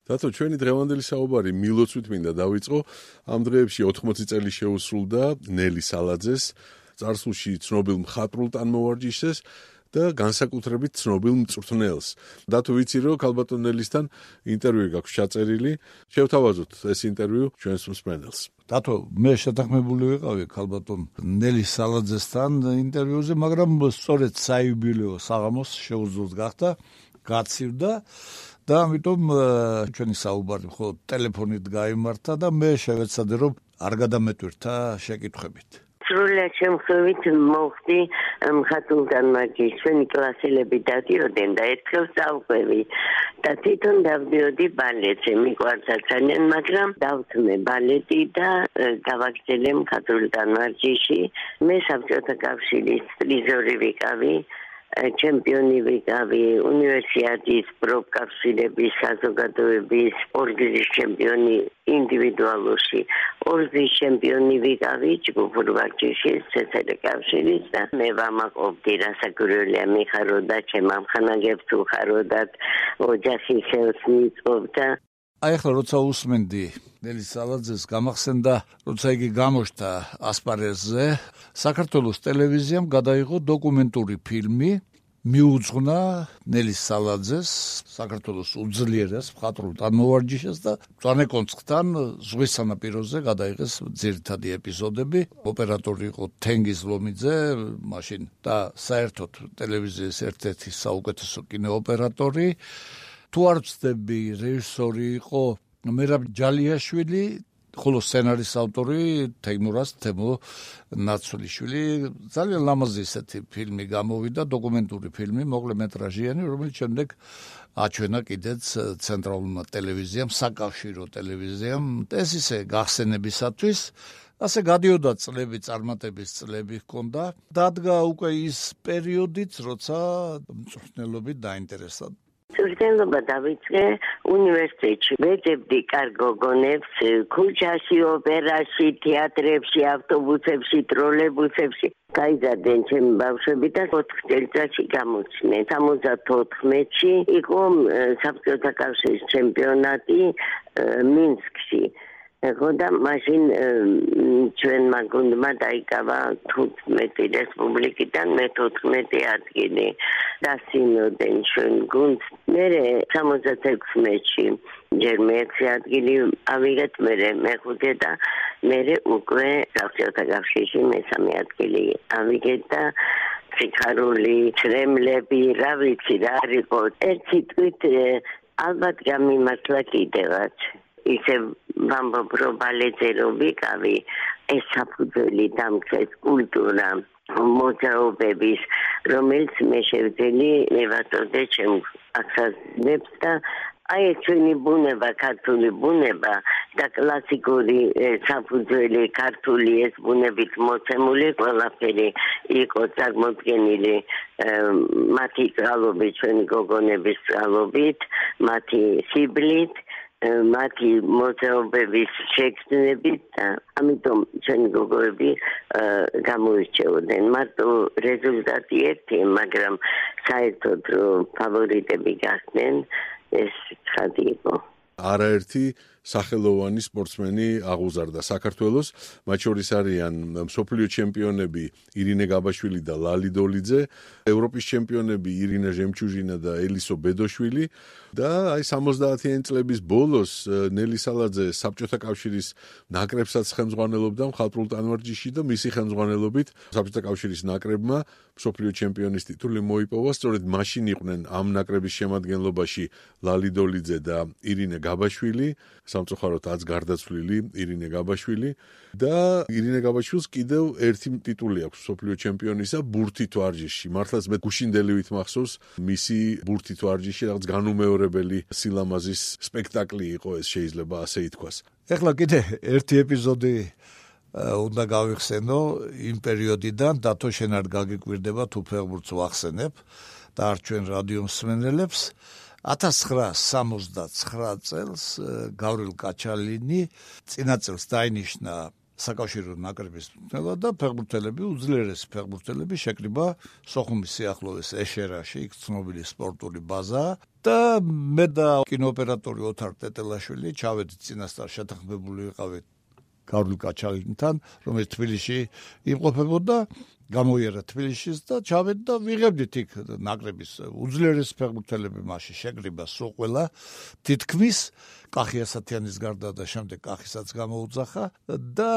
დათო, ჩვენი დღევანდელი საუბარი მილოცვით მინდა დავიწყო. ამ დღეებში 80 წელი შეუსრულდა ნელი სალაძეს, წარსულში ცნობილ მხატვრულ ტანმოვარჯიშეს და განსაკუთრებით ცნობილ მწვრთნელს. დათო, ვიცი რომ ქალბატონ ნელისთან ინტერვიუ გაქვს ჩაწერილი. შევთავაზოთ ეს ინტერვიუ ჩვენს მსმენელს. დათო, მე შეთანხმებული ვიყავი ქალბატონ ნელის სალაძესთან ინტერვიუზე, მაგრამ სწორედ საიუბილეო საღამოს შეუძლოდ გახდა, გაცივდა და ამიტომ ჩვენი საუბარი მხოლოდ ტელეფონით გაიმართა და მე შევეცადე რომ არ გადამეტვირთა შეკითხვებით. სრულად შემთხვევით მოხდი მხატვრულ ტანმოვარჯიშს, ჩვენი კლასელები დადიოდნენ და ერთხელ წავყვევი და თვითონ დავდიოდი ბალეტზე, მიყვარდა ძალიან, მაგრამ დავთმე ბალეტი და გავაგრძელე მხატვრულ ტანმოვარჯიშში. მე საბჭოთა კავშირის პრიზორი ვიყავი, ჩემპიონი ვიყავი, უნივერსიადის პროფკავშირების, საზოგადოების ორგზის ჩემპიონი ინდივიდუალურში, ორგზის ჩემპიონი ვიყავი ჯგუფურ ვარჯიშის CSR კავშირის და მე ვამაყობდი რასაკვირველია მიხაროდა ჩემ ამხანაგებს უხაროდათ ოჯახი ხელს მიწყობდა. აი ახლა როცა უსმენდი ნელის სალაძეს, გამახსენდა როცა იგი გამოჩნდა ასპარეზზე, საქართველოს ტელევიზიამ გადაიღო დოკუმენტური ფილმი, მიუძღვნა ნელის სალაძეს, საქართველოს უძლიერეს მხატვრულ ტანმოვარჯიშეს და მწვანე კონცხთან ზღვის სანაპიროზე გადაიღეს ძირითადი ეპიზოდები. ოპერატორი იყო თენგიზ ლომიძე მაშინ და საერთოდ ტელევიზიის ერთ-ერთი საუკეთესო კინოოპერატორი. თუ არ ვცდები, რეჟისორი იყო მერაბ ჯალიაშვილი, ხოლო სცენარის ავტორი თემო ნაცვლიშვილი. ძალიან ლამაზი ესეთი ფილმი გამოვიდა, დოკუმენტური ფილმი, მოკლემეტრაჟიანი, რომელიც შემდეგ აჩვენა კიდეც ცენტრალურმა ტელევიზიამ, საკავშირო ტელევიზიამ. ეს ისე გახსენებისათვის, ასე გადიოდა წლები, წარმატების წლები ჰქონდა. დადგა უკვე ის პერიოდიც, როცა მწვრთნელობით დაინტერესდა. მწვრთნელობა დავიწყე უნივერსიტეტში. ვეძებდი კარგ გოგონებს ქუჩაში, ოპერაში, თეატრებში, ავტობუსებში, ტროლეიბუსებში. გაიზარდნენ ჩემი ბავშვები და 4 წელიწადში გამოჩნდნენ. 74-ში იყო საბჭოთა კავშირის ჩემპიონატი მინსკში. და მაშინ ჩვენმა გუნდმა დაიკავა 15 რესპუბლიკიდან მე 14 ადგილი. დასინოდნენ ჩვენ გუნდს. მერე 76-ში ჯერ მე-6 ადგილი ავიღეთ, მერე მე-5 და მერე უკვე საბჭოთა კავშირში მე-3 ადგილი ავიღეთ და სიხარული, ცრემლები, რა ვიცი რა იყო. ერთი თვით ალბათ გამიმართლა კიდევაც. ისე ვამბობ რომ ბალეტზე რომ ვიყავი, ეს საფუძველი დამქრეს კულტურა მოძრაობების, რომელიც მე შევძელი მევაწოდე ჩემ ახალგაზრდებს და აი ჩვენი ბუნება, ქართული ბუნება და კლასიკური საფუძველი ქართული ეს ბუნებით მოცემული ყველაფერი იყო წარმოდგენილი მათი წყალობით, ჩვენი გოგონების წყალობით, მათი სიბლით, მათი მოძრაობების შეგრძნებით და ამიტომ ჩვენი გოგოები გამოირჩეოდნენ. მარტო რეზულტატი ერთი, მაგრამ საერთოდ რომ ფავორიტები გახდნენ, ეს ცხადი იყო. არაერთი სახელოვანი სპორტსმენი აღუზარდა საქართველოს, მათ შორის არიან მსოფლიო ჩემპიონები ირინე გაბაშვილი და ლალი დოლიძე, ევროპის ჩემპიონები ირინა ჟემჩუჟინა და ელისო ბედოშვილი და აი 70-იანი წლების ბოლოს ნელი სალაძე საბჭოთა კავშირის ნაკრებსაც ხელმძღვანელობდა მხატვრულ ტანმოვარჯიშში და მისი ხელმძღვანელობით საბჭოთა კავშირის ნაკრებმა მსოფლიო ჩემპიონის ტიტული მოიპოვა. სწორედ მაშინ იყვნენ ამ ნაკრების შემადგენლობაში ლალი დოლიძე და ირინე გაბაშვილი, სამწუხაროდ აც გარდაცვლილი ირინე გაბაშვილი და ირინე გაბაშვილს კიდევ ერთი ტიტული აქვს მსოფლიო ჩემპიონისა ბურთით ვარჯიშში. მართლაც მე გუშინდელივით მახსოვს მისი ბურთით ვარჯიშში რაღაც განუმეორებელი სილამაზის სპექტაკლი იყო ეს, შეიძლება ასე ითქვას. ეხლა კიდე ერთი ეპიზოდი უნდა გავიხსენო იმ პერიოდიდან, დათო შენ არ გაგიკვირდება თუ ფეხბურთს ვახსენებ და არ ჩვენ რადიო მსმენელებს. 1969 წელს გავრილ კაჩალინი წინა წელს დაინიშნა საკავშირო ნაკრების მწვრთნელად და ფეხბურთელები, უძლიერესი ფეხბურთელები შეკრიბა სოხუმის სიახლოვეს ეშერაში, იქ ცნობილი სპორტული ბაზა და მე და კინოოპერატორი ოთარ ტეტელაშვილი ჩავედით წინასწარ შეთანხმებული ვიყავით გავლი კაჩალინთან, რომელიც თბილისში იმყოფებოდა, გამოიერა თბილისშიც და ჩავედ და ვიღებდით იქ ნაკრების უძლიერესი ფეხბურთელები მასში შეკრიბა სულ ყველა თითქმის კახი ასათიანის გარდა და შემდეგ კახისაც გამოუძახა და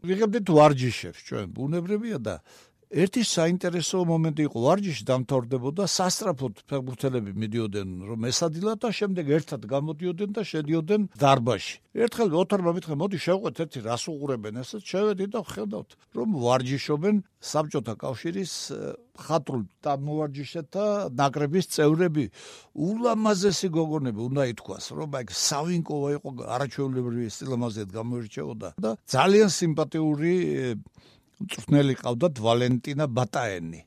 ვიღებდით ვარჯიშებს ჩვენ ბუნებრივია და ერთი საინტერესო მომენტი იყო ვარჯიში დამთავრდებოდა სასწრაფოდ ფეხბურთელები მიდიოდნენ რომ ესადილათ და შემდეგ ერთად გამოდიოდნენ და შედიოდნენ დარბაზში. ერთხელ ოთარმა მითხრა მოდი შევყვეთ ერთი რას უყურებენ ესეც შევედით და ხედავთ რომ ვარჯიშობენ საბჭოთა კავშირის ხატრულ დამოვარჯიშეთა ნაკრების წევრები ულამაზესი გოგონები უნდა ითქვას რომ აი სავინკოვა იყო არაჩვეულებრივი სტილამაზეთ გამოირჩეოდა და ძალიან სიმპათიური მწვრთნელი ყავდათ ვალენტინა ბატაენი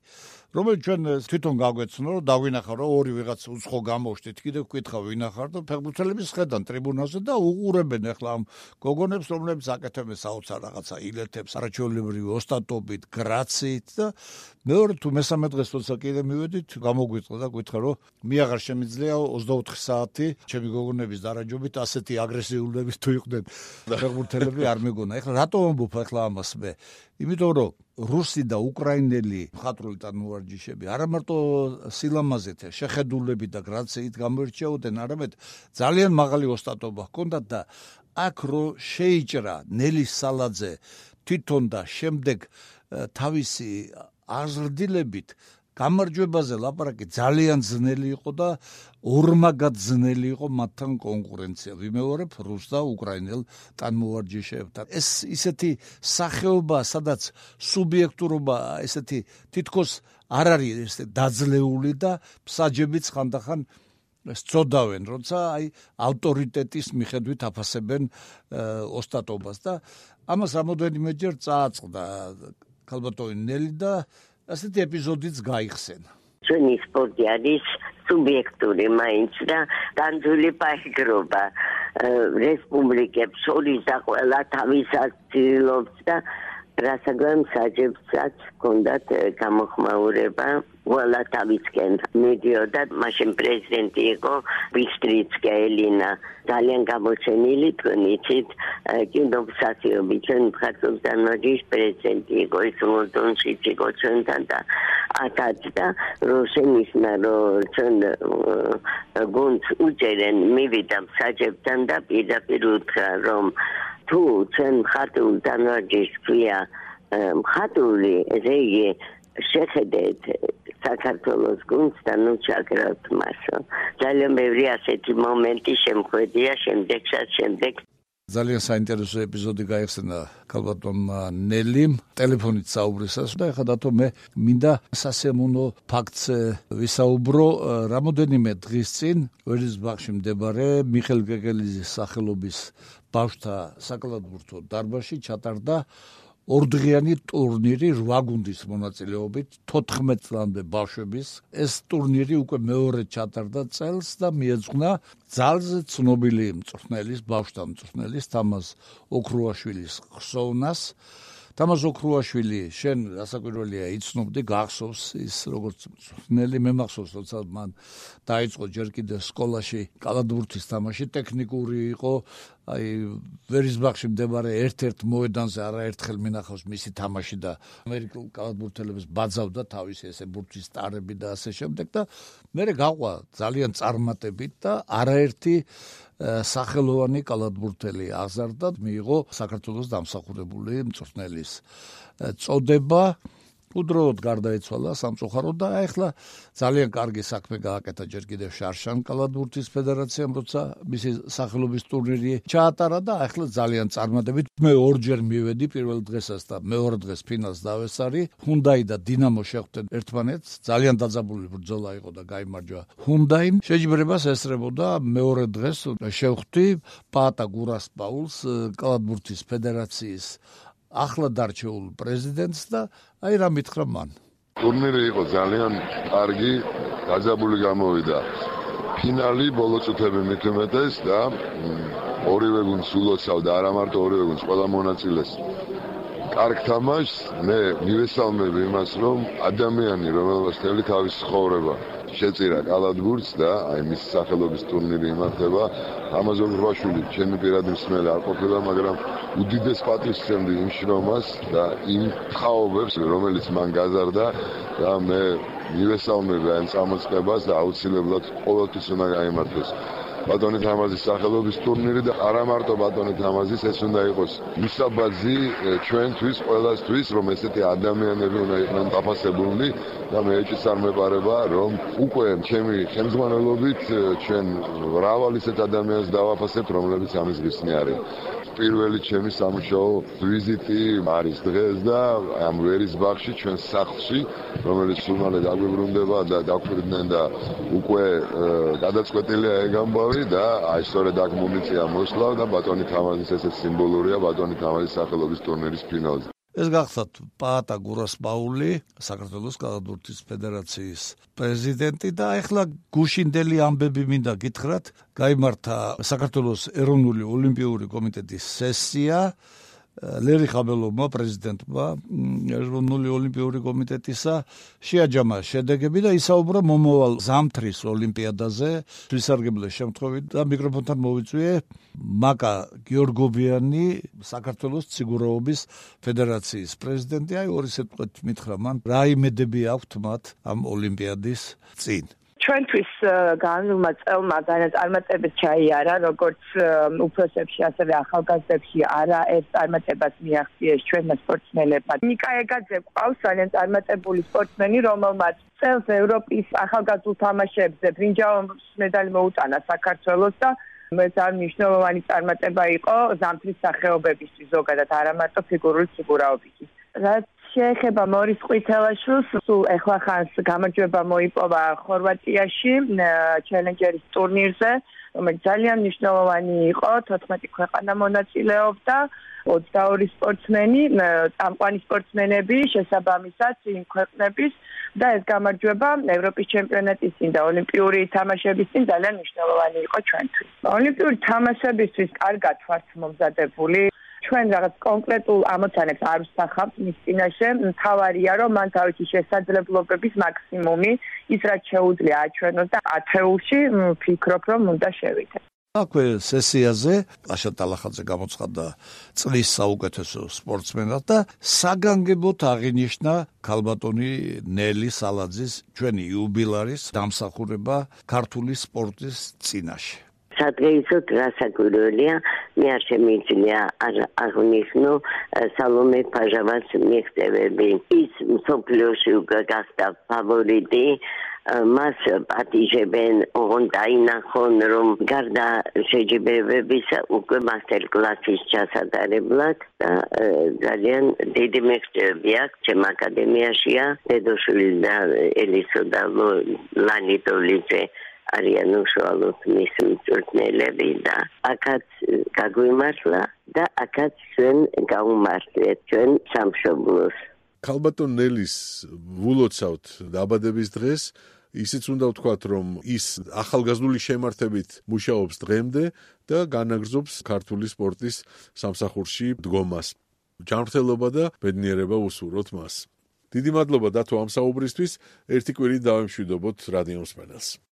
რომელიც ჩვენ თვითონ გაგვეცნო რომ დავინახავ რომ ორი ვიღაც უცხო გამოშთით კიდევ ვკითხავ ვინახარ და ფეხბურთელები შედან ტრიბუნაზე და უყურებენ ახლა ამ გოგონებს რომლებიც აკეთებენ საოცარ რაღაცა ილეთებს არაჩვეულებრივი ოსტატობით გრაციით და მეორე თუ მესამე დღეს როცა კიდე მივედით გამოგვიწყდა და გითხრა რომ მე აღარ შემიძლია 24 საათი ჩემი გოგონების დარაჯობით ასეთი აგრესიულები თუ იყვნენ ფეხბურთელები არ მეგონა ახლა რატომ ამბობ ახლა ამას მე იმიტომ რომ რუსი და უკრაინელი მხატვრული ტანმოვარჯიშები არა მარტო სილამაზით, შეხედულებით და გრაციით გამოირჩეოდნენ, არამედ ძალიან მაღალი ოსტატობა ჰქონდათ და აქ რო შეიჭრა ნელი სალაძე თვითონ და შემდეგ თავისი აზრდილებით გამარჯვებაზე ლაპარაკი ძალიან ძნელი იყო და ორმაგად ძნელი იყო მათთან კონკურენცია. ვიმეორებ რუს და უკრაინელ ტანმოვარჯიშეებთან. ეს ისეთი სახეობა, სადაც სუბიექტურობა ესეთი თითქოს არ არის ესე დაძლეული და მსაჯებიც ხანდახან სწოდავენ, როცა აი ავტორიტეტის მიხედვით აფასებენ ოსტატობას და ამას რამოდენიმეჯერ წააწყდა ქალბატონი ნელი და ასეთი ეპიზოდიც გაიხსენა. ჩვენი სპორტი არის სუბიექტური მაინც და განძული პაიგრობა რესპუბლიკებს შორის და ყველა თავისას ცდილობს და რასაკვირველია მსაჯებსაც ჰქონდათ გამოხმაურება ყველა თავისკენ მიდიოდა მაშინ პრეზიდენტი იყო ვისტრიცკა ელინა ძალიან გამოჩენილი თქვენიცით კინოფსახიობი ჩვენ მხატვრობდანვაჯიშ პრეზიდენტი იყო ის ლონდონში იყო ჩვენთან და ათაც და როშენიშნა რომ ჩვენ გუნდს უჭერენ მივიდა მსაჯებთან და პირდაპირ უთხრა რომ თუ ჩვენ მხატვრულ დანვარჯიშს ქვია მხატვრული რეგი შეხედეთ საქართველოს გუნდს და ნუ ჩაგრავთ მას. ძალიან ბევრი ასეთი მომენტი შემხვედია შემდეგ ძალიან საინტერესო ეპიზოდი გაიხსენა ქალბატონმა ნელიმ ტელეფონით საუბრისას და ეხლა დათო მე მინდა სასიამოვნო ფაქტს ვისაუბრო რამოდენიმე დღის წინ ვერისბახში მდებარე მიხელ გეგელიზის სახელობის ბავშვთა საკალათბურთო დარბაზში ჩატარდა ორდღიანი ტურნირი 8 გუნდის მონაწილეობით 14 წლამდე ბავშვების ეს ტურნირი უკვე მეორე ჩატარდა წელს და მიეძღვნა ძალზე ცნობილი მწვრთნელის ბავშვთა მწვრთნელის თამაზ ოქრუაშვილის ხსოვნას თამაზ ოქრუაშვილი შენ რასაკვირველია იცნობდი გახსოვს ის როგორც მწვრთნელი მე მახსოვს როცა მან დაიწყო ჯერ კიდევ სკოლაში კალათბურთის თამაში ტექნიკური იყო აი ვერისბახში მდებარე ერთ-ერთ მოედანზე არაერთხელ მინახავს მისი თამაში და ამერიკელ კალათბურთელებს ბაძავდა თავისი ესე ბურთის სტარები და ასე შემდეგ და მე გაყვა ძალიან წარმატებით და არაერთი სახელოვანი კალათბურთელი აზარდა მიიღო საქართველოს დამსახურებული მწვრთნელის წოდება უდროოდ გარდაიცვალა სამწუხაროდ და ახლა ძალიან კარგი საქმე გააკეთა ჯერ კიდევ შარშან კალათბურთის ფედერაციამ როცა მისი სახელობის ტურნირი ჩაატარა და ახლა ძალიან წარმატებით მე ორჯერ მივედი პირველ დღესაც და მეორე დღეს ფინალს დავესარი ჰუნდაი და დინამო შეხვდნენ ერთმანეთს ძალიან დაძაბული ბრძოლა იყო და გაიმარჯვა ჰუნდაიმ შეჯიბრებას ესწრებოდა მეორე დღეს შევხვდი პაატა გურასპაულს კალათბურთის ფედერაციის ახლა დარჩეულ პრეზიდენტს და აი რა მითხრა მან. ტურნირი იყო ძალიან კარგი, დაძაბული გამოვიდა. ფინალი ბოლო წუთები მithumetes და ორივე გუნდს ულოცავ და არა მარტო ორივე გუნდს, ყველა მონაწილეს კარგ თამაშს, მე მივესალმებ იმას, რომ ადამიანი, რომელსაც მთელი თავის ცხოვრება შეწირა კალათბურთს და აი მის სახელობის ტურნირი იმართება, ამაზონ ბრაშვილი, ჩემი პირადი მსმელი არ ყოფილა, მაგრამ უდიდეს პატივს ვცემდი იმ შრომას და იმ თაობებს, რომელიც მან გაზარდა და მე მივესალმებ ამ წამოწყებას და აუცილებლად ყოველთვის უნდა გაიმართოს ბატონი თამაზის სახელობის ტურნირი და არა მარტო ბატონი თამაზის, ეს უნდა იყოს მისაბაძი ჩვენთვის, ყველასთვის, რომ ესეთი ადამიანები უნდა იყვნენ დაფასებულნი და მე ეჭვს არ მეპარება, რომ უკვე ჩემი ხელმძღვანელობით ჩვენ მრავალ ისეთ ადამიანს დავაფასებთ, რომლებიც ამის ღირსნი არიან. პირველი ჩემი სამუშაო ვიზიტი არის დღეს და ამ ვერის ბაღში ჩვენ სახლში, რომელიც სულ მალე დაგვიბრუნდება და დაგვირდნენ და უკვე გადაწყვეტილია ეგ ამბავი და აი სწორედ აქ მომიწია მოსვლა და ბატონი თამაზის ესეც სიმბოლურია ბატონი თამაზის სახელობის ტურნირის ფინალზე. ეს გახსოვთ პაატა გურასპაული, საქართველოს კალათბურთის ფედერაციის პრეზიდენტი და ახლა გუშინდელი ამბები მინდა გითხრათ, გაიმართა საქართველოს ეროვნული ოლიმპიური კომიტეტის სესია, ლერი ხაბელოვმა პრეზიდენტმა ეროვნული ოლიმპიური კომიტეტისა შეაჯამა შედეგები და ისაუბრა მომავალ ზამთრის ოლიმპიადაზე, ვისარგებლე შემთხვევით და მიკროფონთან მოვიწვიე მაკა გიორგობიანი, საქართველოს ციგურაობის ფედერაციის პრეზიდენტი. აი ორი სიტყვით მითხრა მან, რა იმედები აქვთ მათ ამ ოლიმპიადის წინ. ჩვენთვის განვლმა წელმა განაწარმოებებს ჩაიარა, როგორც უფროსებში, ასევე ახალგაზრდებში არაერთ წარმატებას მიაღწიეს ჩვენმა სპორტსმენებმა. ნიკა ეგაძე ყავს ძალიან წარმატებული სპორტსმენი, რომელმაც წელს ევროპის ახალგაზრდულ თამაშებზე ბრინჯაოს медаლი მოუტანა საქართველოს და ძალიან მნიშვნელოვანი წარმატება იყო ზამთრის სახეობებისთვის ზოგადად, არა მარტო ფიგურული ციგურაობისთვის. რაც შეეხება მორის ყვითელაშვილს, სულ ეხლა ხანს გამარჯვება მოიპოვა ხორვატიაში ჩელენჯერის ტურნირზე, რომელიც ძალიან მნიშვნელოვანი იყო, 14 ქვეყანა მონაწილეობდა, 22 სპორტსმენი, წამყვანი სპორტსმენები შესაბამისად იმ ქვეყნების და ეს გამარჯვება ევროპის ჩემპიონატის წინ და ოლიმპიური თამაშების წინ ძალიან მნიშვნელოვანი იყო ჩვენთვის. ოლიმპიური თამაშებისთვის კარგად ვართ მომზადებული. ჩვენ რაღაც კონკრეტულ ამოცანებს არ ვსახავთ მის წინაშე, მთავარია რომ მან თავისი შესაძლებლობების მაქსიმუმი ის რაც შეუძლია აჩვენოს და ათეულში ვფიქრობ რომ უნდა შევიდეთ. აქვე სესიაზე აშა ტალახაძე გამოცხადდა წლის საუკეთესო სპორტსმენად და საგანგებოდ აღინიშნა ქალბატონი ნელი სალაძის ჩვენი იუბილარის დამსახურება ქართული სპორტის წინაშე. სადღეისოდ რასაკვირველია, მე არ შემიძლია აღნიშნო სალომე ფაჟავას მიღწევები. ის მსოფლიოში უკვე გახდა ფავორიტი, მას პატიჟებენ, ოღონდ დაინახონ, რომ გარდა შეჯიბრებებისა უკვე მასტერ კლასის ჩასატარებლად და ძალიან დიდი მიღწევები აქვს ჩემ აკადემიაშია, დედოშვილი და ელისო და ლანი დოლიძე არიან უშუალოდ მის მწვრთნელები და აქაც გაგვიმართლა და აქაც ჩვენ გავუმართლეთ ჩვენ სამშობლოს. ქალბატონ ნელის ვულოცავთ დაბადების დღეს, ისიც უნდა ვთქვათ, რომ ის ახალგაზრდული შემართებით მუშაობს დღემდე და განაგრძობს ქართული სპორტის სამსახურში დგომას. ჯანმრთელობა და ბედნიერება უსურვოთ მას. დიდი მადლობა დათო ამ საუბრისთვის, ერთი კვირით დავემშვიდობოთ რადიო მსმენელს.